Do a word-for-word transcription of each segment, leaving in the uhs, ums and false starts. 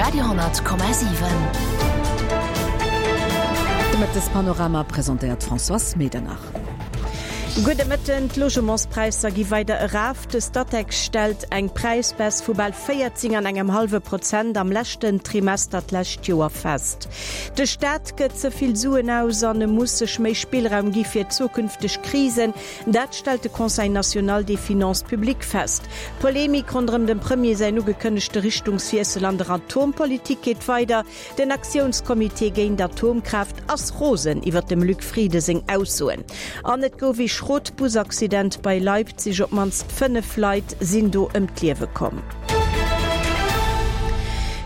Radio honnert Komma siwen. De Mëttespanorama presentéiert d'Françoise Medernach. Gudde Mëtten, D'Logementspräisser gi weider eraf. De Statec stellt eng Präisbaisse vu bal véierzéng an engem hallwe Prozent am leschten Trimester d'lescht Joer fest. De Staat gëtt ze vill Suen aus an e muss sech méi Spillraum gi fir zukünfteg Krisen. Dat stellt de Conseil national des finances publiques fest. D'Polemik ronderëm dem Premier säin ugekënnegte Richtungswiessel an der Atompolitik geet weider. Den Aktiounscomité géint Atomkraaft ass rosen iwwer dem Luc Frieden seng Aussoen. An et gouf ee schrot Busaccident bei Leipzig, op d'mannst fënnef Leit sinn do ëm d'Liewe komm.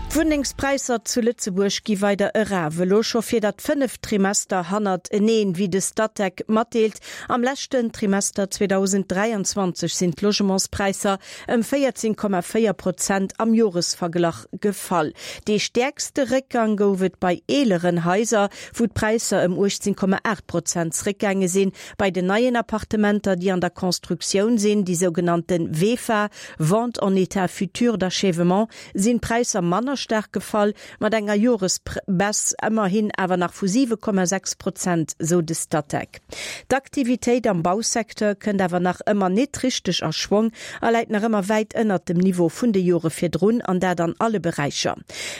D'Wunnengspräisser zu Lëtzebuerg gi weider eraf, elo scho fir dat fënneft Trimester hannerteneen, wéi de Statec matdeelt. Am leschten Trimester zweedausenddräianzwanzeg sinn d'Logementspräisser ëm véierzéng Komma véier Prozent am Joresverglach gefall. Dee stäerkste Réckgang gouf et bei eeleren Haiser, wou d'Präisser ëm uechtzéng Komma aacht Prozent zréckgaange sinn. Bei den neien Appartementer, déi an der Constructioun sinn, déi sougenannte VEFA, Vente en état futur d'achèvement, sinn d'Präisser manner staark gefall, mat enger Joresbaisse ëmmerhin awer nach vu siwe Komma sechs Prozent, sou de Statec. D'Aktivitéit am Bausecteur kënnt awer nach ëmmer net richteg a Schwong a läit nach ëmmer wäit ënnert dem Niveau vun de Jore virdrun, an dat an alle Beräicher.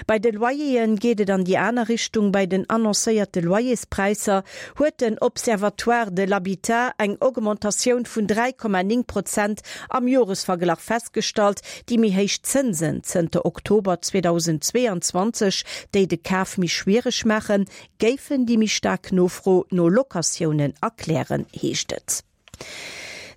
Bei de Loyere geet et an déi aner Richtung, Bei den annoncéierte Loyerspräisser huet den Observatoire de l'habitat eng Augmentatioun vun dräi Komma néng Prozent am Joresverglach festgestallt. Déi méi héich Zënsen zënter Oktober zweedausendzweeanzwanzeg, déi de Kaf méi schwiereg maachen, géifen déi méi staark Nofro no Locatiounen erklären, heescht et.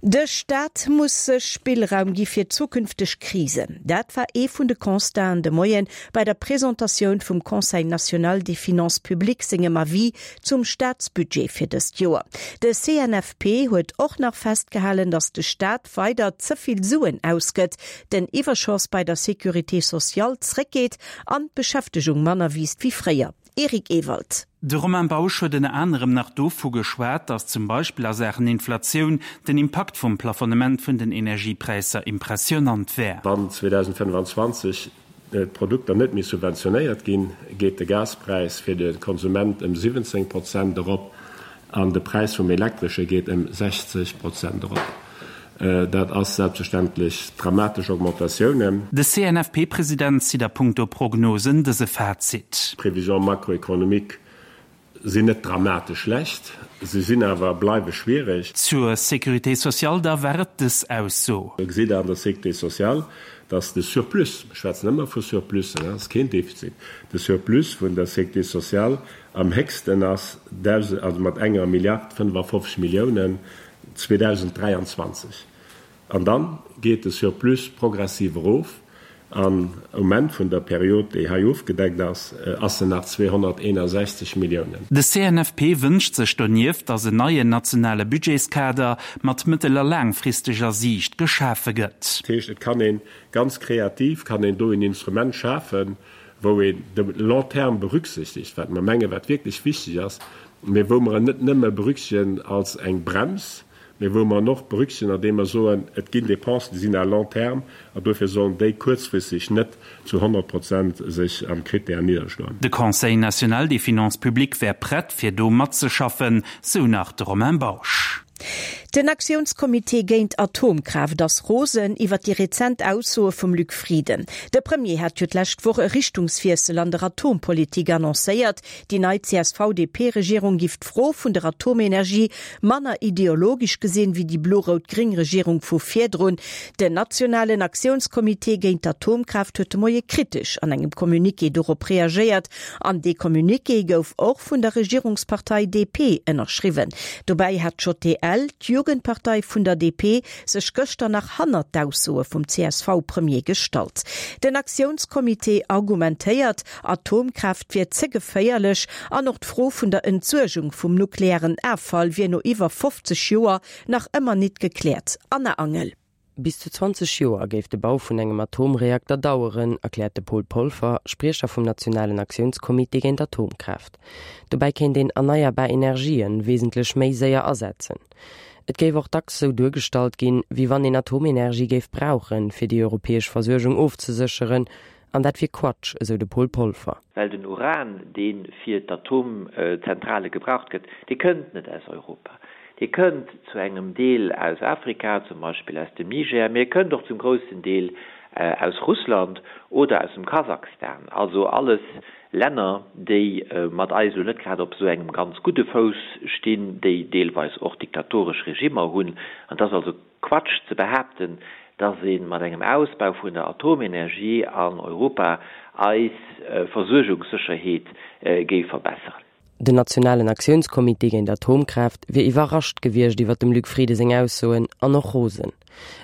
De Staat muss sech Spillraum gi fir zukünfteg Krisen. Dat war ee vun de Constaten de Moien bei der Presentatioun vum Conseil national des finances publiques sengem Avis zum Staatsbudget fir dëst Joer. De C N F P huet och nach festgehalen, datt de Staat weider ze vill Suen ausgëtt, den Iwwerschoss bei der Sécurité sociale zréckgeet an d'Beschäftegung manner wiisst wéi fréier. Eric Ewald. De Romain Bausch huet ënner anerem nach dovu geschwat, datt zum Beispill a Saachen Inflatioun den Impakt vum Plafonnement vun den Energiepräisser impressionant wär. Wann zweedausendfënnefanzwanzeg d'Produkter net méi subventionéiert ginn, geet de Gaspräis fir de Konsument ëm siwwenzéng Prozent erop an de Präis vum Elektresche geet ëm sechzeg Prozent erop. Dat ass selbstverständlech dramatesch Augmentatiounen. De C N F P-President zitt a punkto Prognosen dëse Fazit. D'Prévisions macroéconomiques sinn net dramatesch schlecht, se sinn awer bleiwe schwiereg. Zur Sécurité sociale da war et dës Ausso. Do gesitt Der an der Sécurité sociale, dass de Surplus, mir schwätzen ëmmer vu Surplussen, dat ass keen Defizit, de Surplus vun der Sécurité sociale am héchsten ass, also mat enger Milliard fënnefafofzeg Milliounen zweedausenddräianzwanzeg. An da geet de Surplus progressiv erof an um Enn vun der Period, déi hei ofgedeckt ass, ass en nach zweehonnerteenasechzeg Milliounen. De C N F P wënscht sech donieft, datt en neien nationale Budgetskader mat mëttel a laangfristeger Siicht geschafe gëtt. Dat heescht, et kann ee ganz kreativ, kann een do en Instrument schafen, wou een de long terme berücksichtigt, wat mer mengen, wat wierklech wichteg ass, mee wou mer en net nëmme berücksichtegen als eng Brems, mee wou mer en och berücksichtegen, andeem mer soen, et ginn Dépensen, déi sinn à long terme, an dofir sollen déi kuerzfristeg net zu honnert Prozent sech am Critère nidderschloen. De Conseil national des finances publiques wär prett, fir do matzeschaffen, sou nach de Romain Bausch. Den Aktiounscomité géint Atomkraaft ass rosen iwwer déi rezent Aussoe vum Luc Frieden. De Premier hat jo d'lescht Woch e Richtungswiessel an der Atompolitik annoncéiert. Déi nei C S V-D P-Regierung giff d'Fro vun der Atomenergie manner ideologesch gesinn, wéi déi blo-rout-gréng Regierung vu virdrun. Den nationalen Aktiounscomité géint Atomkraaft huet de Moie kritesch an engem Communiqué dorop reagéiert. An dee Communiqué gouf och vun der Regierungspartei D P ënnerschriwwen. Dobäi hat d'J D L, d'Jugendpartei vun der D P, sech gëschter nach hannert d'Aussoe vum C S V-Premier gestallt. Den Aktiounscomité argumentéiert, Atomkraaft wier ze geféierlech an och d'Fro vun der Entsuergung vum nuklearen Offall wier no iwwer fofzeg Joer nach ëmmer net gekläert. Anna Angel. Bis zu zwanzeg Joer géif de Bau vun engem Atomreakter daueren, erkläert de Paul Polfer, Spriecher vum nationalen Aktiounscomité géint Atomkraaft. Dobäi kéint een erneierbar Energien wesentlech méi séier asetzen. Et géif och dacks sou duergestallt ginn, wéi wann een Atomenergie géif brauchen, fir déi europäesch Versuergung ofzesécheren, An dat wier Quatsch, esou de Paul Polfer. Well den Uran, dee fir d'Atomzentrale gebraucht gëtt, dee kënnt net aus Europa. Dee kënnt zu engem Deel aus Afrika, zum Beispill aus dem Niger, mee e kënnt och zum groussen Deel aus Russland oder aus dem Kasachstan. Also alles Länner, déi mat eis elo net grad op esou engem ganz gudde Fouss stinn, déi deelweis och diktatoresch Regimmer hunn. An et ass also Quatsch ze behaapten, dass ee mat engem Ausbau vun der Atomenergie an Europa eis Versuergungssécherheet géif verbesseren. Den nationalen Aktiounscomité géint Atomkraaft wier iwwerrascht gewiescht iwwer dem Luc Frieden seng Aussoen an och rosen.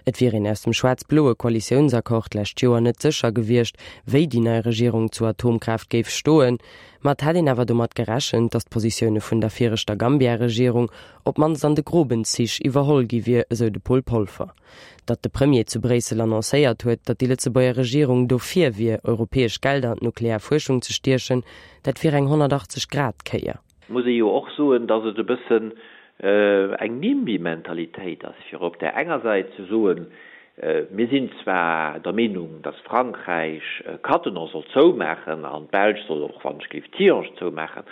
Et wier een aus dem schwaarz-bloe Koalitiounsaccord d'lescht Joer net sécher gewiescht, wéi déi nei Regierung zu Atomkraaft géif stoen. Ma et hätt een awer domat gerechent, datt d'Positioune vun der viregter Gambia-Regierung op d'mannst an de groben Zich iwwerholl gi wier, esou de Paul Polfer. Datt de Premier zu Bréissel annoncéiert huet, datt déi Lëtzebuerger Regierung dofir wier, europäesch Gelder an d'nuklear Fuerschung ze stiechen, dat wier eng honnertachtzeg Grad Kéier. Muss ee jo och soen, datt et e bëssen eng Nimby-Mentalitéit ass, fir op där enger Säit ze soen, mir sinn zwar der Meenung, datt Frankräich Cattenom soll zoumaachen an d'Belsch soll och wann ech géif Tihange zoumaachen,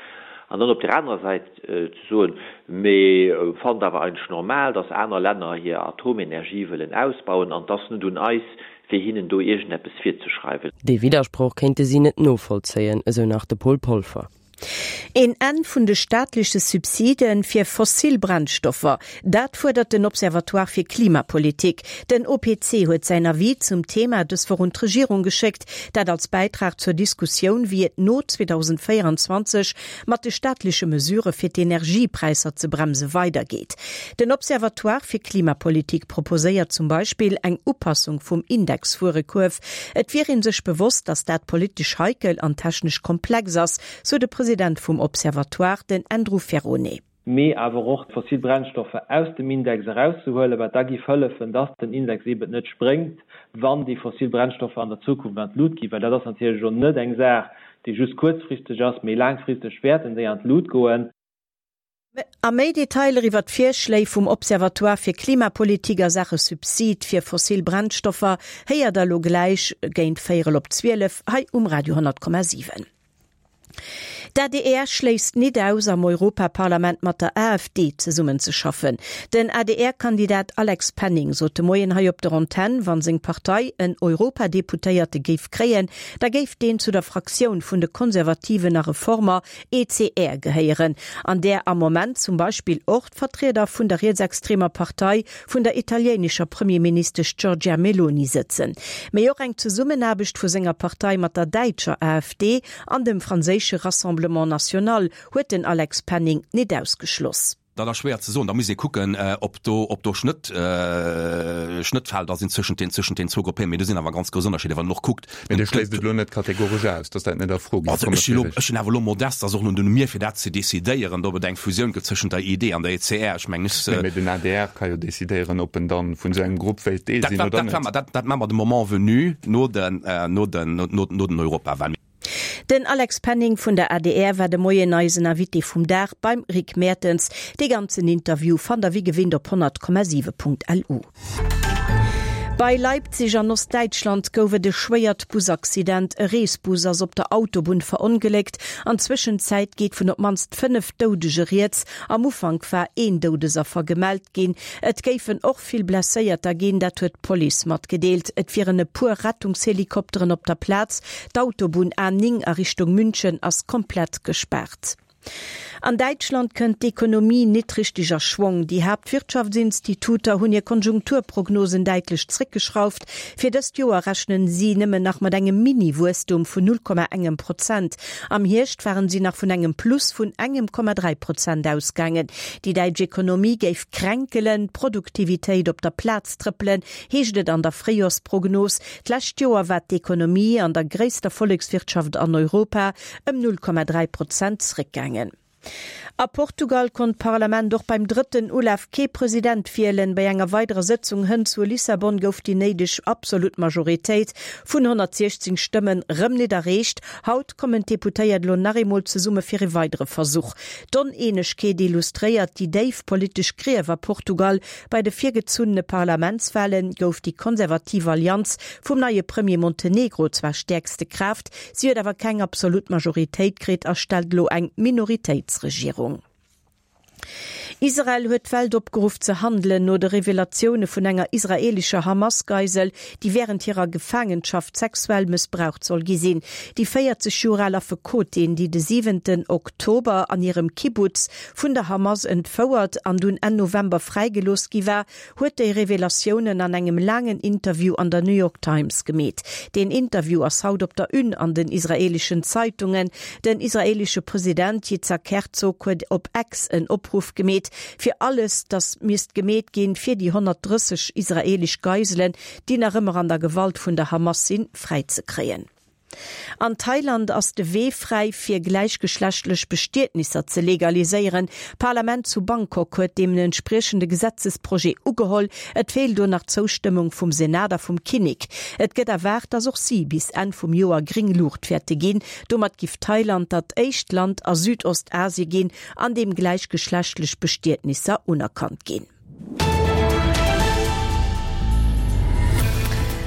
an dann op där anerer Säit ze soen, Mir fannen et awer eigentlech normal, datt aner Länner hir Atomenergie wëllen ausbauen an et ass net un eis, fir hinnen do iergendeppes virzeschreiwen. Dee Widdersproch kéinte si net novollzéien, esou nach de Paul Polfer. Een Enn vun de staatleche Subside fir fossil Brennstoffer, dat fuerdert den Observatoire fir Klimapolitik. Den O P C huet säin Avis zum Thema dës Woch un d'Regierung geschéckt, dat als Bäitrag zur Diskussioun, wéi et no zweedausendvéieranzwanzeg mat de staatleche Mesurë fir d'Energiepräisser ze bremse weidergeet. Den Observatoire fir Klimapolitik proposéiert zum Beispill eng Upassung vum Indexwuerekuerf. Et wier ee sech bewosst, datt dat politesch heikel an technesch komplex ass, sou de President vum Observatoire, den Andrew Ferrone. Mee awer och d'fossil Brennstoffer aus dem Index erauszehuelen, wat da géif hëllefen, dass den Index eben net spréngt, wann déi fossil Brennstoffer an der Zukunft an d'Lut ginn, well dat ass natierlech elo net eng Saach, déi just kuerzfristeg ass, mee laangfristeg wäerten déi an d'Lut goen. A méi Detailer iwwer d'Virschléi vum Observatoire fir Klimapolitik a Saache Subsid fir fossil Brennstoffer héiert der elo gläich géint véierel op zwielef hei um Radio honnert Komma siwen. D' A D R schléisst nit aus, am Europaparlament mat der A F D zesummenzeschaffen. Den A D R-Kandidat Alex Penning sot de Moien hei op der Antenn, wann seng Partei en Europadeputéierte géif kréien, da géif deen zu der Fraktioun vun de Konservativen a Reformer E C R gehéieren, an där am Moment zum Beispill och d'Vertrieder vun der rietsextremer Partei vun der italienescher Premierministesch Giorgia Meloni sëtzen. Mee och eng Zesummenaarbecht vu senger Partei mat der däitscher A F D an dem franséische Rassemblement National huet den Alex Penning nit ausgeschloss. Dat ass schwéier ze soen, da muss ee kucken, ob do, ob do Schnëtt, äh, Schnëttfelder sinn zwëschent den, zwëschent den zwou Gruppen, mee do sinn awer ganz grouss Ënnerscheeder, wann een och kuckt. Mee Dir schléisst et elo net kategoresch aus, dass dat net a Fro géif Also kommen, ech sinn elo, Frédéric. ech sinn awer elo modest, ass och net un mir fir dat ze decidéieren, ob et eng Fusioun gëtt zwëschent der I D an der E C R. Ech mengen, ech, Nee, mee den A D R ka jo decidéieren, ob en dann vun esou engem Grupp wéilt Deel Dat sinn war, oder dat net. war mer, dat, dat maache mer de Moment venu no den, äh, no den, no, no, no den Europawahlen. Den Alex Penning vun der A D R war de Moien eisen Invité vum Dag beim Rick Mertens. De ganzen Interview fannt der wéi gewinnt op honnert Komma siwe Punkt L U. Bei Leipzig an Ostdeitschland gouf et e schwéiert Busaccident. E Reesbus ass op der Autobunn verongléckt. An Zwëschenzäit geet vun op d'mannst fënnef Doudege rieds. Am Ufank war een Doudesaffer gemellt ginn. Et géifen och vill Blesséierter ginn, dat huet d'Police matgedeelt. Et wieren e puer Rettungshelikopteren op der Plaz. D'Autobunn A néng a Richtung München ass komplett gespaart. An Däitschland kënnt d'Ekonomie nit richteg a Schwong. Déi Haaptwirtschaftsinstituter hunn hir Konjunkturprognosen däitlech zréckgeschrauft. Fir dëst Joer rechnen si nëmmen nach mat engem Mini-Wuesstum vun null Komma engem Prozent. Am Hierscht waren si nach vun engem Plus vun engem Komma dräi Prozent ausgaangen. Déi däitsch Ekonomie géif kränkelen, d'Produktivitéit op der Plaz trëppelen, heescht et an der Fréijorsprognos. D'lescht Joer war d'Ekonomie an der gréisster Vollekswirtschaft an Europa ëm null Komma dräi Prozent zréckgaangen. A Portugal konnt d'Parlament och beim drëtten Ulaf kee President wielen. Bei enger weiderer Sëtzung hënt zu Lissabon gouf déi néideg absolut Majoritéit vun honnertsiechzéng Stëmmen rëm net erreecht. Haut kommen d'Deputéiert elo nach eemol zesumme fir e weidere Versuch. D'Oneenegkeet illustréiert déi déif politesch Grief a Portugal. Bei de virgezunnene Parlamentswale gouf déi konservativ Allianz vum neie Premier Montenegro zwar stäerkste Kraaft, si huet awer keng absolut Majoritéit kritt a stellt elo eng Minoritéitsregierung. Israel huet d'Welt opgeruff ze handelen, no de Revelatioune vun enger israeelescher Hamas-Geisel, déi wärend hirer Gefaangenschaft sexuell mëssbraucht soll gi sinn. Déi véierzeg Joer al Affekotin, déi de siwenten Oktober an hirem Kibbutz vun der Hamas entfouert an dunn Enn November fräigelooss gi war, huet déi Revelatiounen an engem laangen Interview an der New York Times gemeet. Deen Interview ass haut op der Une an den israeeleschen Zeitungen. Den israeelesche President Yitzhak Herzog huet op X en Opruff gemeet, fir alles, datt misst gemeet ginn, fir déi honnertdrësseg israeelesch Geiselen, déi nach ëmmer an der Gewalt vun der Hamas sinn, fräizekréien. An Thailand ass de Wee fräi fir gläichgeschlechtlech Bestietnisser ze legaliséieren. D'Parlament zu Bangkok huet deem en entspriechende Gesetzesprojet ugeholl. Et feelt do nach d'Zoustëmmung vum Senat a vum Kinnek. Et gëtt erwaart, datt och si bis Enn vum Joer gréng Luucht wäerte ginn. Domat giff Thailand dat éischt Land a Südostasie ginn, an deem gläichgeschlechtlech Bestietnisser unerkannt ginn.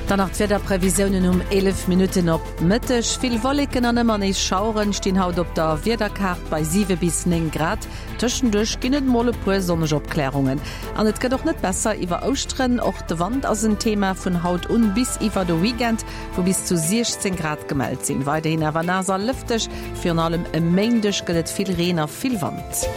Dann nach d'Wiederprevisiounen um eelef Minutten op Mëtteg. Vill Wolleken an ëmmer nees Schaueren stinn haut op der Wiederkaart bei siwe bis néng Grad. Tëschenduerch ginn et mol e puer sonneg Opklärungen. An et gëtt och net besser iwwer Ouschteren. Och de Wand ass en Thema vun haut un bis iwwer de Weekend, wou bis zu siechzéng Grad gemellt sinn. Weiderhin awer naass a lëfteg. Virun allem e Méindeg gëtt et vill Reen a vill Wand.